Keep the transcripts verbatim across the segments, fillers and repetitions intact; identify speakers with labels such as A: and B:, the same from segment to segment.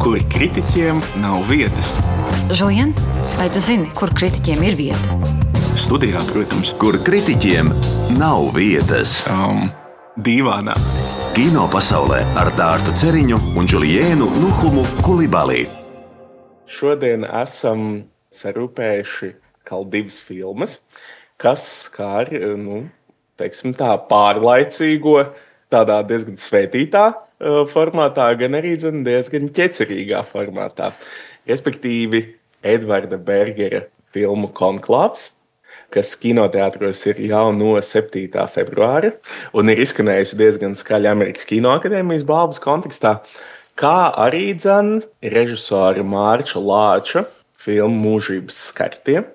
A: kur kritiķiem nav vietas.
B: Žulien, vai tu zini, kur kritiķiem ir vieta?
A: Studijā, protams.
C: Kur kritiķiem nav vietas.
A: Um, dīvānā.
C: Kino pasaulē ar Dārtu Ceriņu un Džuliēnu Nuhumu Kulibalī.
D: Šodien esam sarūpējuši kaut divas filmas, kas skar, nu, teiksim tā, pārlaicīgo, tādā diezgan svētītā formātā, gan arī diezgan ķecerīgā formātā. Respektīvi, Edvarda Bergera filmu Konklāvs, kas kinoteātros ir jau no septītā februāra un ir izskanējusi diezgan skaļi Amerikas Kinoakadēmijas balvas kontekstā, kā arī dzen režisora Mārča Lāča filmu Mūžības skartie,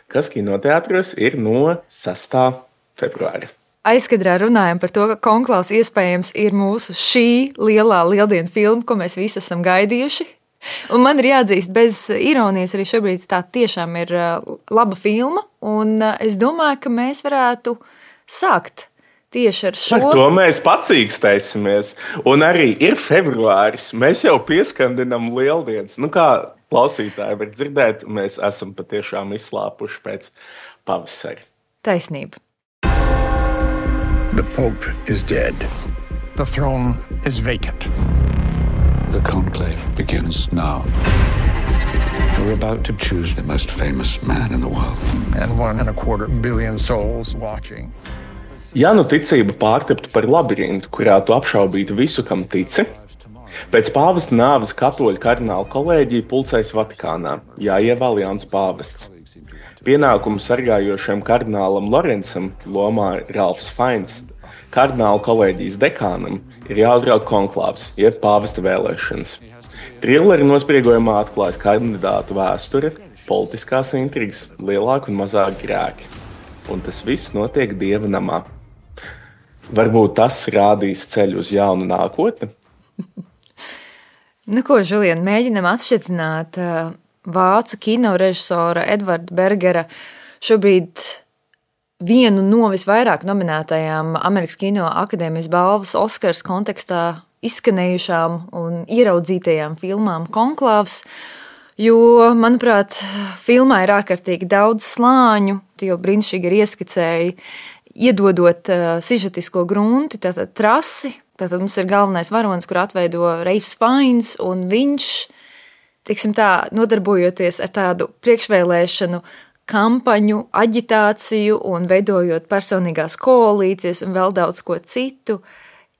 D: kas kinoteātros ir no sestā februāra.
B: Aizkadrā runājam par to, ka Konklāvs iespējams ir mūsu šī lielā lieldienu filma, ko mēs visi esam gaidījuši. Un man ir jāatzīst, bez ironijas arī šobrīd tā tiešām ir laba filma, un es domāju, ka mēs varētu sākt tieši ar šo.
D: Ar to mēs pacīkstēsimies. Un arī ir februāris, mēs jau pieskandinam lieldienas. Nu kā klausītāji var dzirdēt, mēs esam patiešām izslāpuši pēc pavasari.
B: Taisnība.
E: The Pope is dead. The throne is vacant.
F: The conclave begins now. We're about to choose the most famous man in the world.
E: And one and a quarter billion souls watching.
D: Ja nu ticība pārtaptu par labirintu, kurā tu apšaubītu visu, kam tici, pēc pāvesta nāves katoļu kardinālu kolēģija pulcējas Vatikānā, jāievēl jauns pāvests. Pienākumu sargājošajam kardinālam Lorencam lomā Ralfs Fains, kardinālu kolēģijas dekānam ir jāuzrauga konklāvs, jeb pāvesta vēlēšanas. Trilleri nospriegojumā atklājas kandidātu vēsture, politiskās intrigas, lielāki un mazāki grēki. Un tas viss notiek Dieva namā. Varbūt tas rādīs ceļu uz jaunu nākotni?
B: Nu ko, Žulien, mēģinam atšķitināt uh, vācu kinorežisora Edvarda Bergera šobrīd vienu no visvairāk nominētajām Amerikas Kinoakadēmijas balvas Oskars kontekstā izskanējušām un ieraudzītajām filmām Konklāvs, jo, manuprāt, filmā ir ārkārtīgi daudz slāņu, tu jau brīnišķīgi ir ieskicēji, iedodot uh, sižetisko grunti, tātad trasi, tātad mums ir galvenais varonis, kur atveido Ralfs Fains, un viņš, teiksim tā, nodarbojoties ar tādu priekšvēlēšanu kampaņu, aģitāciju un veidojot personīgās koalīcijas un vēl daudz ko citu,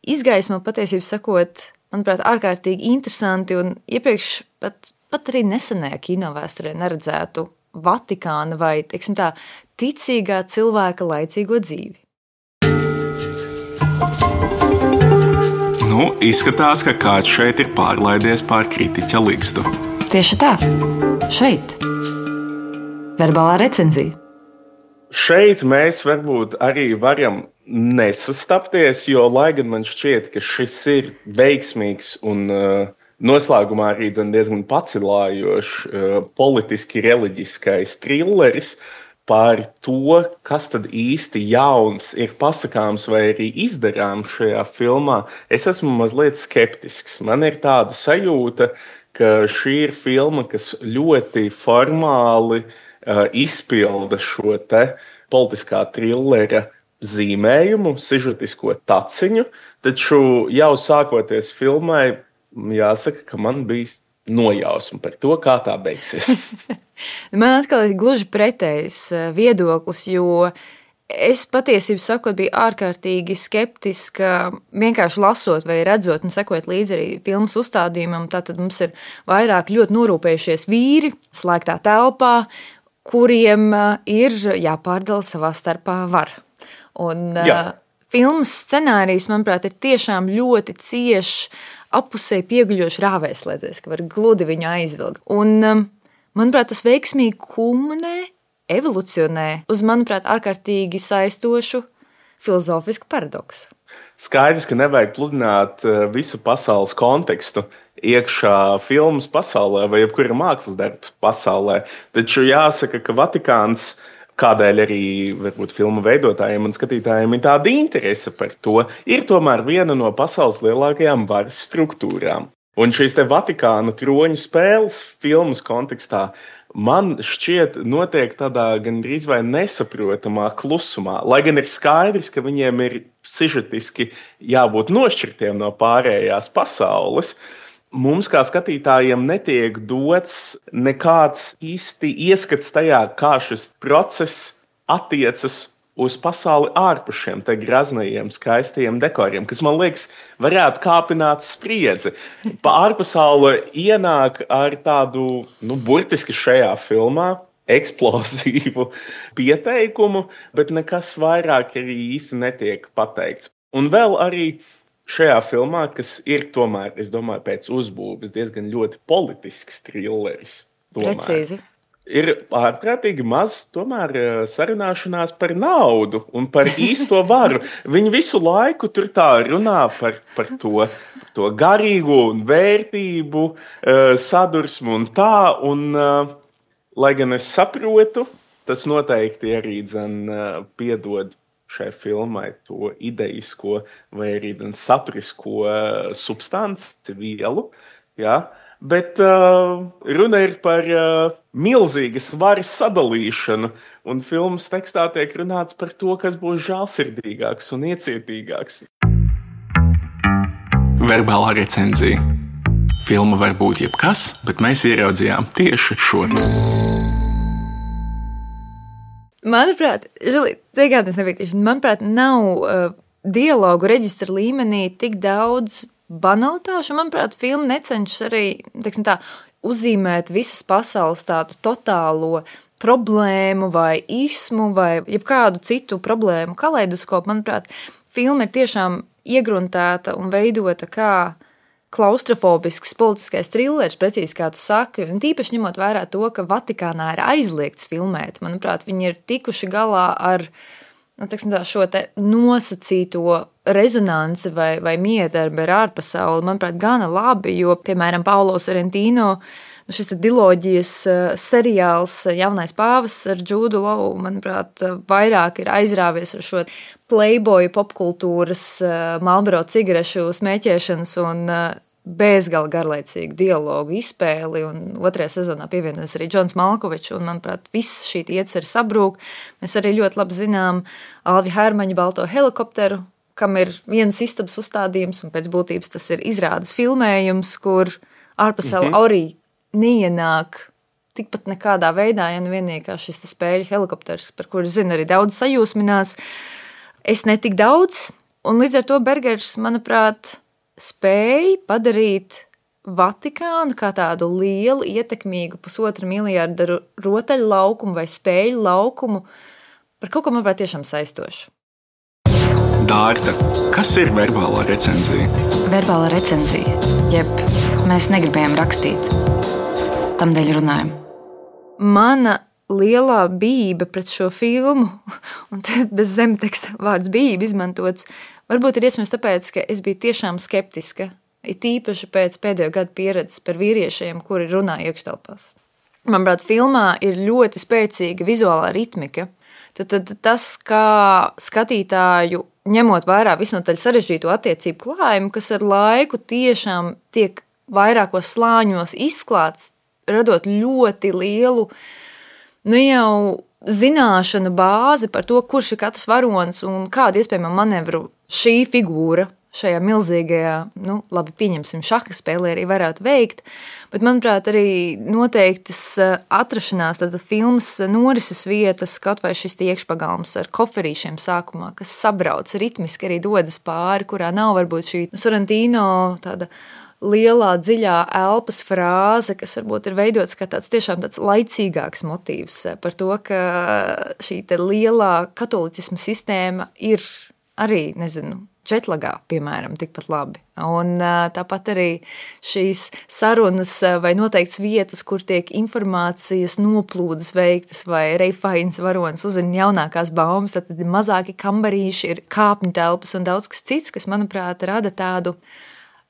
B: izgaismo patiesībā sakot, manuprāt, ārkārtīgi interesanti un iepriekš pat, pat arī nesenajā kinovēsturē neredzētu Vatikāna vai, teiksim tā, ticīgā cilvēka laicīgo dzīvi.
A: Nu, izskatās, ka kāds šeit ir pārlaidies pār kritiķa ligstu.
B: Tieši tā. Šeit. Verbālā recenzija.
D: Šeit mēs varbūt arī varam nesastapties, jo, lai gan man šķiet, ka šis ir veiksmīgs un uh, noslēgumā arī diezgan pacilājošs uh, politiski reliģiskais trilleris par to, kas tad īsti jauns ir pasakāms vai arī izdarāms šajā filmā, es esmu mazliet skeptisks. Man ir tāda sajūta, ka šī ir filma, kas ļoti formāli uh, izpilda šo te politiskā trillera zīmējumu, sižetisko taciņu, taču jau sākoties filmai, jāsaka, ka man bija nojausma par to, kā tā beigsies.
B: Man atkal ir gluži pretējs viedoklis, jo es patiesībā sakot biju ārkārtīgi skeptiska, vienkārši lasot vai redzot un sekot līdzi arī filmas uzstādījumam. Tātad mums ir vairāk ļoti norūpējušies vīri slēgtā telpā, kuriem ir jāpārdala savā starpā vara. Un Jā. filmas scenārijs, manuprāt, ir tiešām ļoti cieši apusēji pieguļoši rāvēslēdzējs, ka var gludi viņu aizvilkt. Un, manuprāt, tas veiksmīgi kulminē, evolucionē uz, manuprāt, ārkārtīgi saistošu filozofisku paradoksu.
D: Skaidrs, ka nevajag pludināt visu pasaules kontekstu iekšā filmas pasaulē vai jebkura mākslas darba pasaulē, taču jāsaka, ka Vatikāns, kādēļ arī varbūt filmu veidotājiem un skatītājiem ir tāda interese par to, ir tomēr viena no pasaules lielākajām varas struktūrām. Un šīs te Vatikāna troņu spēles filmas kontekstā man šķiet notiek tādā gandrīz vai nesaprotamā klusumā. Lai gan ir skaidrs, ka viņiem ir sižetiski jābūt nošķirtiem no pārējās pasaules, mums kā skatītājiem netiek dots nekāds īsti ieskats tajā, kā šis process attiecas uz pasauli ārpus šiem te graznajiem, skaistajiem dekoriem, kas, man liekas, varētu kāpināt spriedzi. Pa ārpasaule ienāk ar tādu, nu, burtiski šajā filmā, eksplozīvu pieteikumu, bet nekas vairāk arī īsti netiek pateikts. Un vēl arī šajā filmā, kas ir tomēr, es domāju, pēc uzbūves diezgan ļoti politisks trilleris. Tomēr. Precīzi. Ir ārprātīgi maz tomēr sarunāšanās par naudu un par īsto varu. Viņi visu laiku tur tā runā par, par, to, par to garīgo un vērtību, sadursmu un tā. Un, lai gan es saprotu, tas noteikti arī dzen piedod šai filmai to idejisko vai arī saturisko substanci vielu, jā. Bet uh, runa ir par uh, milzīgas varas sadalīšanu, un filmas tekstā tiek runāts par to, kas būs žēlsirdīgāks un iecietīgāks.
A: Verbālā recenzija. Filma var būt jebkas, bet mēs ieraudzījām tieši šo.
B: Manuprāt, Žili, ciegādnes nepiektīšu, manuprāt, nav uh, dialogu reģistra līmenī tik daudz banalitāšu. Manuprāt, filma necenšas arī, teiksim tā, uzzīmēt visas pasaules tādu totālo problēmu vai ismu vai jebkādu citu problēmu kaleidoskopu. Manuprāt, filma ir tiešām iegruntēta un veidota kā klaustrofobisks politiskais trilleris, precīzi kā tu saki, un tīpaši ņemot vērā to, ka Vatikānā ir aizliegts filmēt. Manuprāt, viņi ir tikuši galā ar nu, teiksim tā, šo te nosacīto rezonanci vai, vai miedarbi ar ārpasauli, manuprāt, gana labi, jo, piemēram, Paulo Sorrentino, nu, šis diloģijas seriāls Jaunais pāvis ar Džūdu Lovu, manuprāt, vairāk ir aizrāvies ar šo playboy popkultūras, Marlboro cigarešu smēķēšanas un bezgala garlaicīgu dialogu izspēli, un otrajā sezonā pievienojas arī Džons Malkovičs, un, manuprāt, viss šī ieceri sabrūk. Mēs arī ļoti labi zinām Alvi Hermaņa balto helikopteru, kam ir viens istabas uzstādījums, un pēc būtības tas ir izrādes filmējums, kur ārpasaule mm-hmm. arī neienāk tikpat nekādā veidā, ja nu vienīgi kā šis spēļu helikopters, par kuru zinu arī daudz sajūsminās. Es netik daudz, un līdz ar to Bergers, manuprāt, spēja padarīt Vatikānu kā tādu lielu, ietekmīgu pusotra miljārda rotaļu laukumu vai spēļu laukumu par kaut ko, manuprāt, tiešām saistošu.
A: Dārta, kas ir verbālā recenzija?
G: Verbālā recenzija, jeb mēs negribējām rakstīt, tamdēļ runājam.
B: Mana lielā bība pret šo filmu, un te bez zemteksta vārds bība izmantots, varbūt ir iespējams tāpēc, ka es biju tiešām skeptiska, it īpaši pēc pēdējo gadu pieredzes par vīriešiem, kuri runā iekštelpās. Manuprāt, filmā ir ļoti spēcīga vizuālā ritmika. Tad, tad tas, kā skatītāju, ņemot vērā visnotaļ sarežģīto attiecību klājumu, kas ar laiku tiešām tiek vairākos slāņos izklāts, radot ļoti lielu, nu jau zināšanu bāzi par to, kurš ir katrs varonis un kādu iespējamo manevru šī figūra šajā milzīgajā, nu, labi, pieņemsim, šaha spēlē arī varētu veikt, bet, manuprāt, arī noteiktas atrašanās, tad filmas norises vietas, kaut vai šis iekšpagalms ar koferīšiem sākumā, kas sabrauc ritmiski arī dodas pāri, kurā nav varbūt šī Sorrentino tāda lielā, dziļā elpas frāze, kas varbūt ir veidots kā tāds tiešām tāds laicīgāks motīvs par to, ka šī te lielā katolicisma sistēma ir arī, nezinu, četlagā, piemēram, tikpat labi. Un tāpat arī šīs sarunas vai noteikts vietas, kur tiek informācijas noplūdes veiktas vai Reifains varonis uzvina jaunākās baumas, tad ir mazāki kambarīši, ir kāpņu telpas un daudz kas cits, kas, manuprāt, rada tādu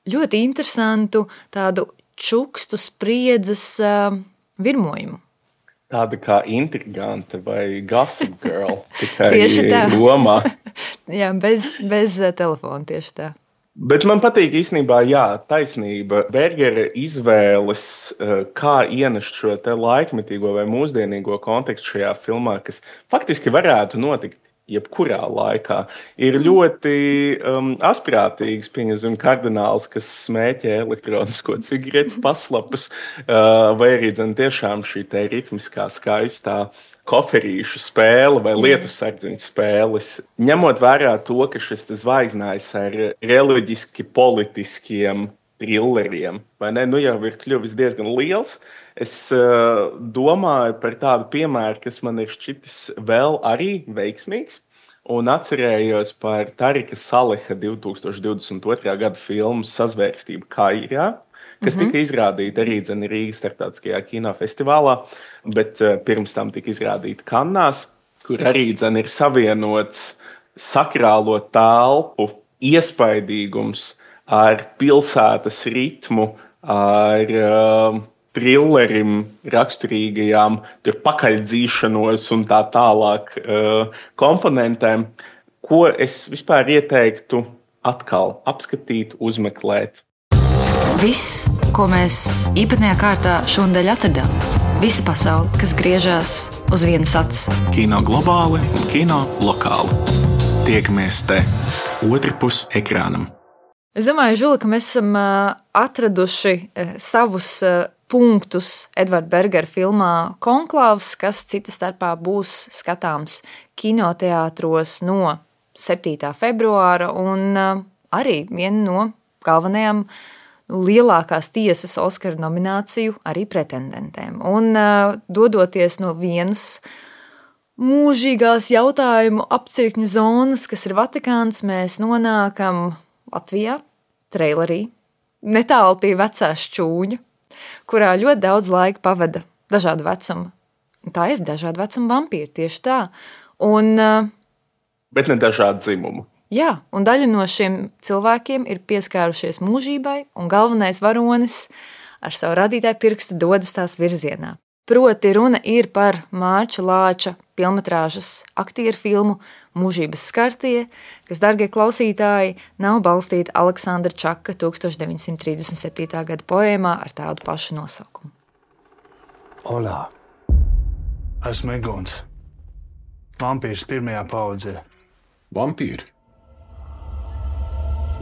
B: ļoti interesantu, tādu čukstu spriedzes uh, virmojumu.
D: Tāda kā intrigante vai Gossip Girl, tikai
B: tieši tā.
D: Romā.
B: Jā, bez, bez telefona tieši tā.
D: Bet man patīk īstenībā, jā, taisnība. Bergera izvēles, kā ienest šo te laikmetīgo vai mūsdienīgo kontekstu šajā filmā, kas faktiski varētu notikt jebkurā laikā, ir ļoti um, asprātīgs, pieņemsim, kardināls, kas smēķē elektronisko cigaretu paslapus, uh, vai arī dzen tiešām šī te ritmiskā, skaistā koferīšu spēle vai lietu sardziņu spēles. Ņemot vērā to, ka šis zvaigznājs ar reliģiski politiskiem trilleriem, vai ne, nu jau ir kļuvis diezgan liels, es uh, domāju par tādu piemēru, kas man ir šķitis vēl arī veiksmīgs, un atcerējos par Tarika Saleha divtūkstoš divdesmit otrā gada filmu Sazvērstība Kairijā, kas mm-hmm. tika izrādīta arī dzen Rīgas starptautiskajā kinofestivālā, bet uh, pirms tam tika izrādīta Kannās, kur arī dzen ir savienots sakrālo telpu iespaidīgums ar pilsētas ritmu, ar uh, trillerim raksturīgajām tur pakaļdzīšanos un tā tālāk uh, komponentēm, ko es vispār ieteiktu atkal apskatīt, uzmeklēt.
G: Viss, ko mēs īpatnējā kārtā šonadēļ atradām. Visa pasaule, kas griežās uz vienas acis.
A: Kino globāli un kino lokāli. Tiekamies te otrpus ekrānam.
B: Es domāju, Žuli, ka mēs esam atraduši savus punktus Edvarda Bergera filmā Konklāvs, kas cita starpā būs skatāms kinoteātros no septītā februāra un arī viena no galvenajām lielākās tiesas Oskara nomināciju arī pretendentēm. Un dodoties no vienas mūžīgās jautājumu apcirkņa zonas, kas ir Vatikāns, mēs nonākam Latvijā, trailerī, netālu pie vecā šķūņa, kurā ļoti daudz laika pavada dažādu vecumu. Tā ir dažādu vecumu vampīri, tieši tā. Un,
D: bet ne dažādu dzimumu.
B: Jā, un daļa no šiem cilvēkiem ir pieskārušies mūžībai, un galvenais varonis ar savu radītāju pirkstu dodas tās virzienā. Proti runa ir par Mārča Lāča filmetrāžas aktieru filmu Mūžības skartie, kas, dargie klausītāji, nav balstīta Aleksandra Čaka tūkstoš deviņsimt trīsdesmit septītā gada poēmā ar tādu pašu nosaukumu.
H: Olā, esmu Egons. Vampīrs pirmajā paudzē.
I: Vampīri?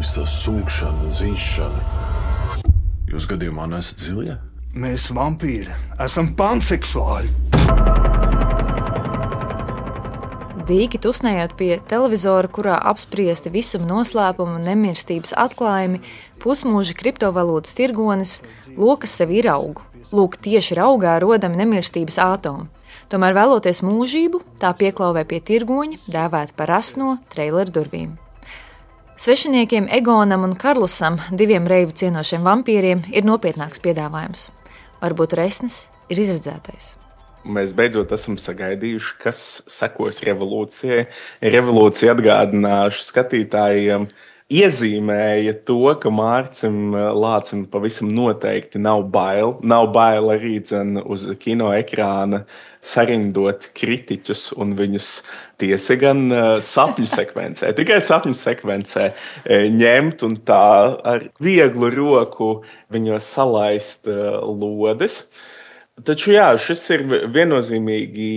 I: Viss tā sunkšana, zīšana. Jūs gadījumā nesat zilie?
H: Mēs vampīri esam panseksuāļi.
B: Dīki tusnējot pie televizora, kurā apspriesti visuma noslēpuma un nemirstības atklājumi, pusmūža kriptovalūtas tirgonis lokas sevi iraugu. Lūk, tieši raugā rodami nemirstības ātomi. Tomēr vēloties mūžību, tā pieklauvē pie tirgoņa, dēvēta par rasno traileru durvīm. Svešiniekiem Egonam un Karlusam, diviem reivu cienošiem vampīriem, ir nopietnāks piedāvājums. Varbūt resnis ir izredzētais.
D: Mēs beidzot esam sagaidījuši, kas sekos revolūcijai. Revolūcija, atgādināšu skatītājiem, iezīmēja to, ka Mārcim Lācim pavisam noteikti nav bail. Nav bail arī dzen uz kino ekrāna sarindot kritiķus un viņus tiesa gan sapņu sekvencē, tikai sapņu sekvencē ņemt un tā ar vieglu roku viņos salaist lodes. Taču jā, šis ir viennozīmīgi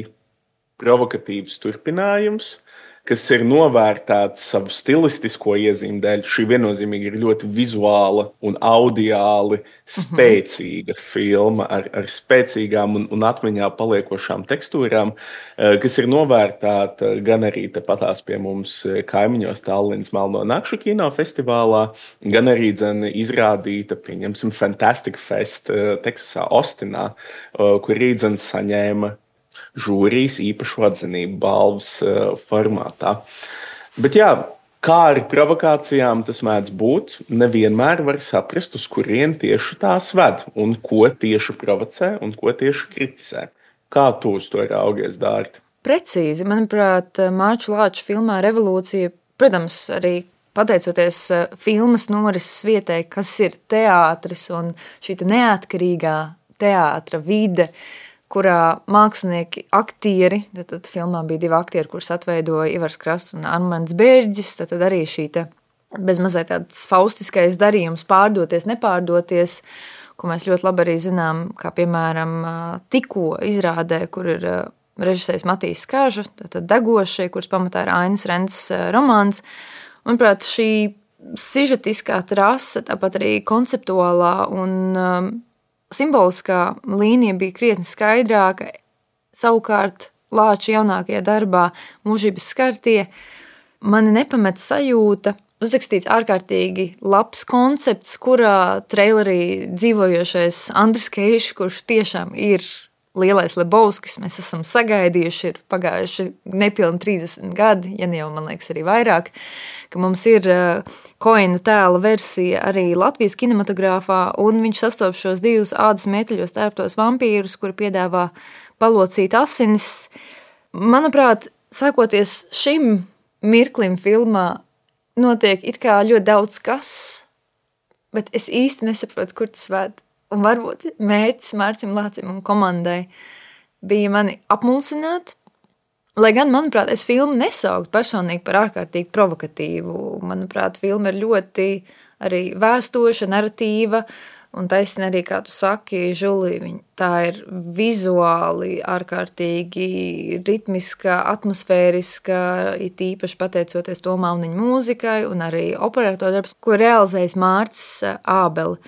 D: provokatīvs turpinājums, kas ir novērtēts savu stilistisko iezīmi dēļ. Šī viennozīmīgi ir ļoti vizuāla un audiāli spēcīga mm-hmm. filma ar, ar spēcīgām un, un atmiņā paliekošām tekstūrām, kas ir novērtēta gan arī tepatās pie mums kaimiņos Tallinas Melno nakšu kinofestivālā, gan arī dzen izrādīta, pieņemsim, Fantastic Fest Teksasā, Ostinā, kur arī dzen saņēma žūrijas īpašu atzinību balvas uh, formātā. Bet jā, kā ar provokācijām tas mēdz būt, nevienmēr var saprast, uz kurien tieši tās ved, un ko tieši provocē, un ko tieši kritizē. Kā tu uz to raugies, Dārta?
B: Precīzi, manuprāt, Mārča Lāča filmā Revolūcija, protams, arī pateicoties filmas norises vietai, kas ir teātris un šī neatkarīgā teātra vide, kurā mākslinieki, aktieri, tad, tad filmā bija divi aktieri, kurus atveidoja Ivars Krasts un Armands Bērģis, tad, tad arī šī te bez mazliet tāds faustiskais darījums pārdoties, nepārdoties, ko mēs ļoti labi arī zinām, kā piemēram tikko izrādē, kur ir režisējs Matīs Kaža, tātad Degošie, kuras pamatā ir Ainas Rences romāns. Manuprāt, šī sižetiskā trase, tāpat arī konceptuālā un um, simboliskā līnija bija krietni skaidrāka. Savukārt Lāča jaunākajā darbā Mūžības skartie mani nepamet sajūta, uzrakstīts ārkārtīgi labs koncepts, kurā trailerī dzīvojošais Andris Keišs, kurš tiešām ir lielais Lebowskis, mēs esam sagaidījuši, ir pagājuši nepilni trīsdesmit gadi, ja ne jau, man liekas, arī vairāk, ka mums ir Koenu tēla versija arī Latvijas kinematogrāfā, un viņš sastop šos divus ādas meteļos tērptos vampīrus, kuri piedāvā palocīt asinis. Manuprāt, sākoties šim mirklim filmā, notiek it kā ļoti daudz kas, bet es īsti nesaprotu, kur tas vēd. Un varbūt mērķis Mārcim Lācim un komandai bija mani apmulsināt, lai gan, manuprāt, es filmu nesauktu personīgi par ārkārtīgi provokatīvu. Manuprāt, filma ir ļoti arī vēstoša, narratīva, un taisni arī, kā tu saki, Žulī, tā ir vizuāli ārkārtīgi ritmiska, atmosfēriska, it īpaši pateicoties Tomā Auniņa mūzikai un arī operatora darbs, ko realizējis Mārcis Ābeli.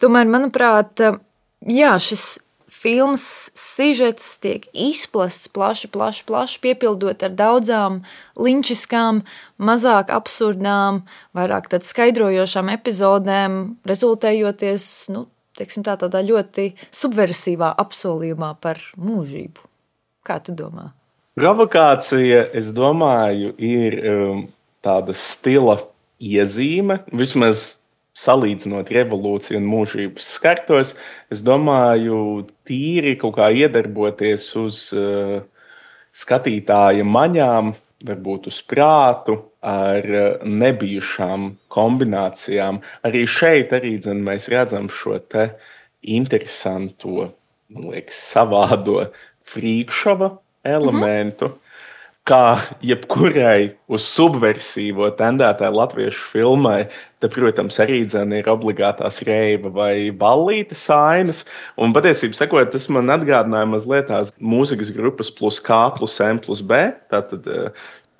B: Tomēr, manuprāt, jā, šis filmas sižets tiek izplasts plaši, plaši, plaši, piepildot ar daudzām linčiskām, mazāk absurdām, vairāk tad skaidrojošām epizodēm, rezultējoties, nu, teiksim tā, tādā ļoti subversivā apsolījumā par mūžību. Kā tu domā?
D: Provokācija, es domāju, ir um, tāda stila iezīme, vismaz salīdzinot revolūciju un mūžības skartos, es domāju, tīri kaut kā iedarboties uz uh, skatītāja maņām, varbūt uz prātu, ar uh, nebijušām kombinācijām. Arī šeit arī, dzen, mēs redzam šo te interesanto, man liekas, savādo frīkšova elementu, mm-hmm. kā jebkurai uz subversiīvo tendētai latviešu filmai, te, protams, arī dzen ir obligātās reiva vai ballītes ainas. Un patiesībā sakot, tas man atgādināja mazliet tās mūzikas grupas plus K plus M plus B. Tātad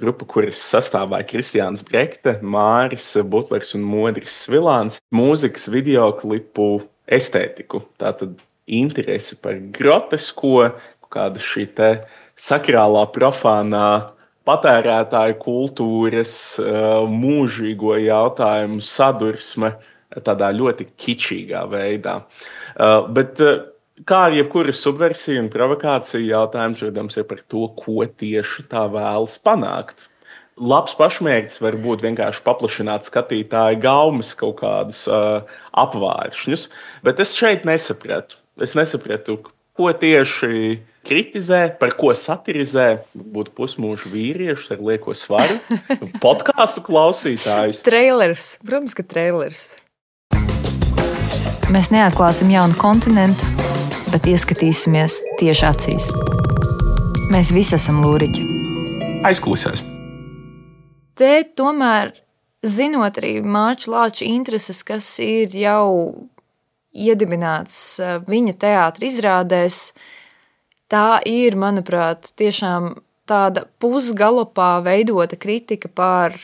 D: grupa, kuras sastāvēja Kristiāns Brekte, Māris Butlers un Modris Svilāns. Mūzikas videoklipu estētiku. Tātad interesi par grotesko, kāda šī te sakrālā, profānā patērētāju kultūras, mūžīgo jautājumu sadursme tādā ļoti kičīgā veidā. Bet kā ar jebkura subversija un provokācija jautājums, protams, ir par to, ko tieši tā vēlas panākt. Labs pašmērķis var būt vienkārši paplašināt skatītāju gaumes kaut kādus apvāršņus, bet es šeit nesapratu. Es nesapratu, ko tieši kritizē, par ko satirizē, būtu pusmūžu vīrieši ar lieko svaru, podkāstu klausītājus.
B: Trailers, protams, ka trailers.
G: Mēs neatklāsim jaunu kontinentu, bet ieskatīsimies tieši acīs. Mēs visi esam lūriķi.
A: Aizkulisēs.
B: Te tomēr, zinot arī Mārča Lāča intereses, kas ir jau iedibināts viņa teātra izrādēs, tā ir, manuprāt, tiešām tāda pusgalopā veidota kritika par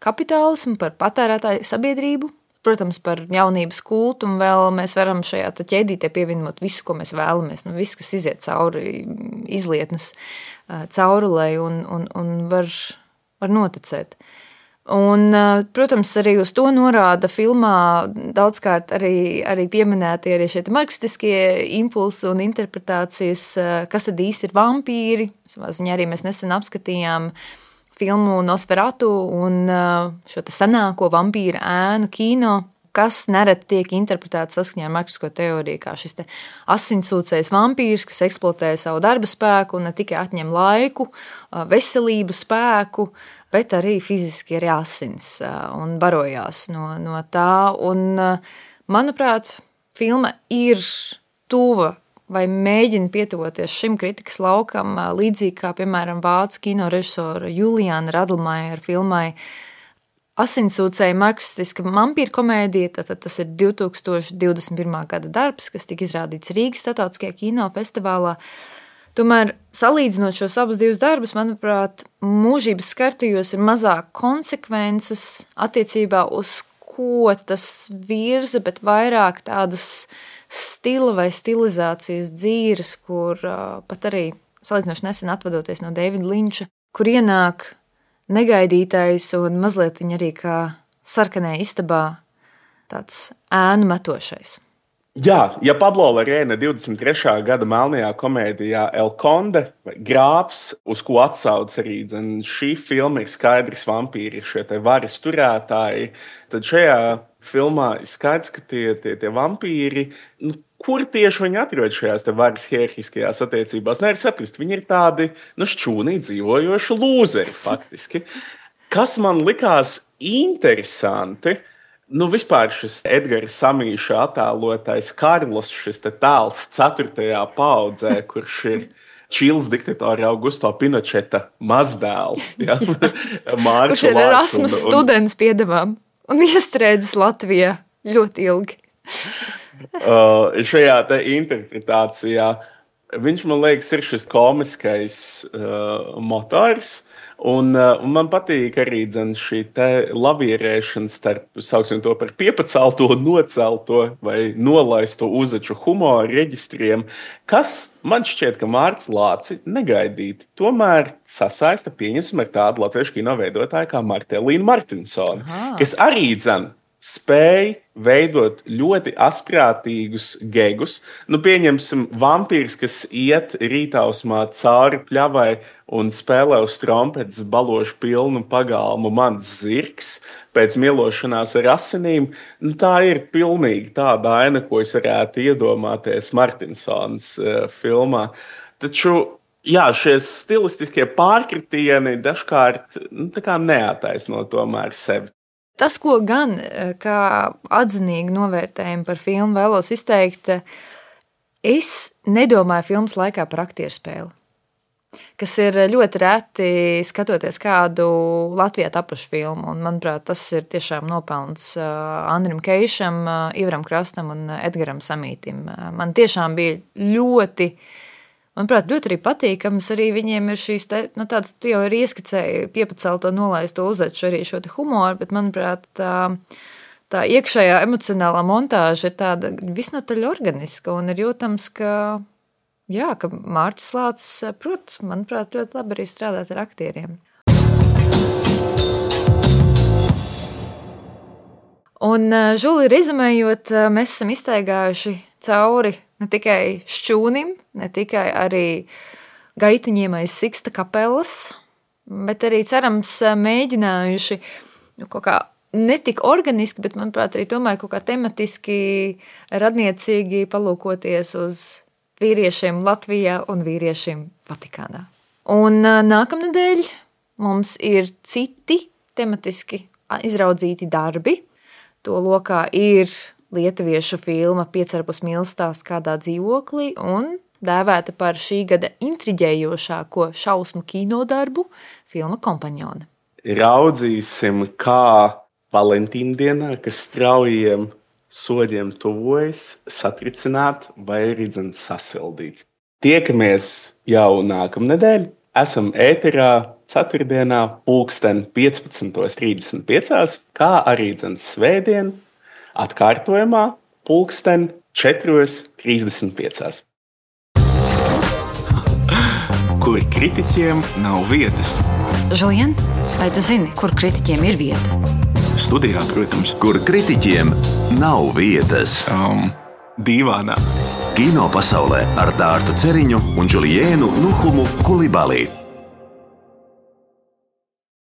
B: kapitālismu, par patērētāju sabiedrību, protams, par jaunības kultu, un vēl mēs varam šajā ķēdītē pievienot visu, ko mēs vēlamies, nu, viss, kas iziet cauri izlietnes caurulei un, un, un var, var noticēt. Un, protams, arī uz to norāda filmā daudzkārt arī, arī pieminēti arī šie marksistiskie impulsi un interpretācijas, kas tad īsti ir vampīri. Savā ziņā arī mēs nesen apskatījām filmu Nosferatu un šo te senāko vampīra ēnu kino, kas nereti tiek interpretēts saskaņā ar marksisko teoriju, kā šis te asinsūcējs vampīrs, kas eksploatē savu darba spēku un ne tikai atņem laiku, veselību, spēku, bet arī fiziski arī asins un barojās no, no tā. Un, manuprāt, filma ir tuva vai mēģina pietuvoties šim kritikas laukam, līdzīgi kā, piemēram, vācu kinorežisora Juliāna Radlmaiera filmai asinsūcēja marksistiska vampīra komēdija, tad tas ir divi tūkstoši divdesmit pirmā gada darbs, kas tika izrādīts Rīgas Startautiskajā kinofestivālā. Tomēr, salīdzinot šos abus divus darbus, manuprāt, mūžības skartajos ir mazāk konsekvences attiecībā uz ko tas virza, bet vairāk tādas stila vai stilizācijas dzīves, kur uh, pat arī salīdzinoši nesen atvadoties no Davida Linča, kur ienāk negaidītais un mazliet arī kā sarkanē istabā tāds ēnu metošais.
D: Jā, ja Pablo Larraína divdesmit trešā gada melnajā komēdijā El Conde vai Grāfs, uz ko atsauc arī dzen, šī filma ir skaidrs vampīri, šie te varas turētāji, tad šajā filmā ir skaidrs, ka tie, tie, tie vampīri, nu, kur tieši viņi atrod šajās te varas hierarhiskajās attiecībās? Nevar saprast, viņi ir tādi, nu, šķūnī dzīvojoši lūzeri faktiski. Kas man likās interesanti, nu, vispār šis Edgara Samīša attēlotais Karlos, šis te tēls ceturtajā paudzē, kurš ir Čīles diktatora Augusto Pinocheta mazdēls. Ja?
B: Kurš ir Erasmus students piedevām un iestrēdzis Latvijā ļoti ilgi.
D: uh, šajā te interpretācijā viņš, man liekas, ir šis komiskais uh, motors. Un, un man patīk arī dzen, šī te lavierēšana starp, sauksim to par piepacelto, nocelto vai nolaisto uzaču humoru reģistriem, kas man šķiet, ka Mārts Lāci negaidīti tomēr sasaista pieņemsim ar tādu latviešu kino veidotāju kā Martelīnu Martinsoni, Aha. kas arī dzen spēj veidot ļoti asprātīgus gegus. Nu, pieņemsim vampīrs, kas iet rītausmā cauri pļavai un spēlē uz trompetes balošu pilnu pagalmu mans zirgs pēc mielošanās ar asinīm. Nu, tā ir pilnīgi tāda aina, ko es varētu iedomāties Martinsons uh, filmā. Taču, jā, šie stilistiskie pārkritieni dažkārt nu, tā kā neataisno tomēr sevi.
B: Tas, ko gan kā atzinīgi novērtējumu par filmu vēlos izteikt, es nedomāju filmas laikā par aktieru spēli, kas ir ļoti reti skatoties kādu Latvijā tapušu filmu. Un, manuprāt, tas ir tiešām nopelns Andrim Keišam, Ivaram Krastam un Edgaram Samītim. Man tiešām bija ļoti... Manuprāt, ļoti arī patīkams, arī viņiem ir šīs, te, nu tāds, tu jau arī ieskicēji piepacelto nolaisto uzaču arī šo te humoru, bet, manuprāt, tā, tā iekšējā emocionālā montāža ir tāda visnotaļ organiska un ir jūtams, ka, jā, ka Mārcis Lācis, prot, manuprāt, ļoti labi arī strādāt ar aktieriem. Un, Žuli, rezumējot, mēs esam iztaigājuši cauri ne tikai šķūnim, ne tikai arī gaitiņiem aiz Siksta kapelas, bet arī, cerams, mēģinājuši nu, kaut kā netik organiski, bet, manuprāt, arī tomēr kaut kā tematiski radniecīgi palūkoties uz vīriešiem Latvijā un vīriešiem Vatikānā. Un nākamnedēļ mums ir citi tematiski izraudzīti darbi. To lokā ir lietuviešu filma Piecarbus mīlestās kādā dzīvoklī un dēvēta par šī gada intriģējošāko šausmu kinodarbu filma Kompaņone.
D: Raudzīsim, kā Valentīndienā, kas straujiem soļiem tuvojas, satricināt vai arī dzen sasildīt. Tiekamies jau nākamnedēļ. Esam ēterā ceturtdienā pulksten piecpadsmit trīsdesmit pieci, kā arī dzen svētdien atkārtojumā pulksten četri trīsdesmit pieci.
A: Kur kritiķiem nav vietas.
G: Žulien, vai tu zini, kur kritiķiem ir vieta?
A: Studijā, protams.
C: Kur kritiķiem nav vietas.
A: Um, dīvānā.
C: Kino pasaulē ar Dārtu Ceriņu un Džuliēnu Nuhumu Kulibalī.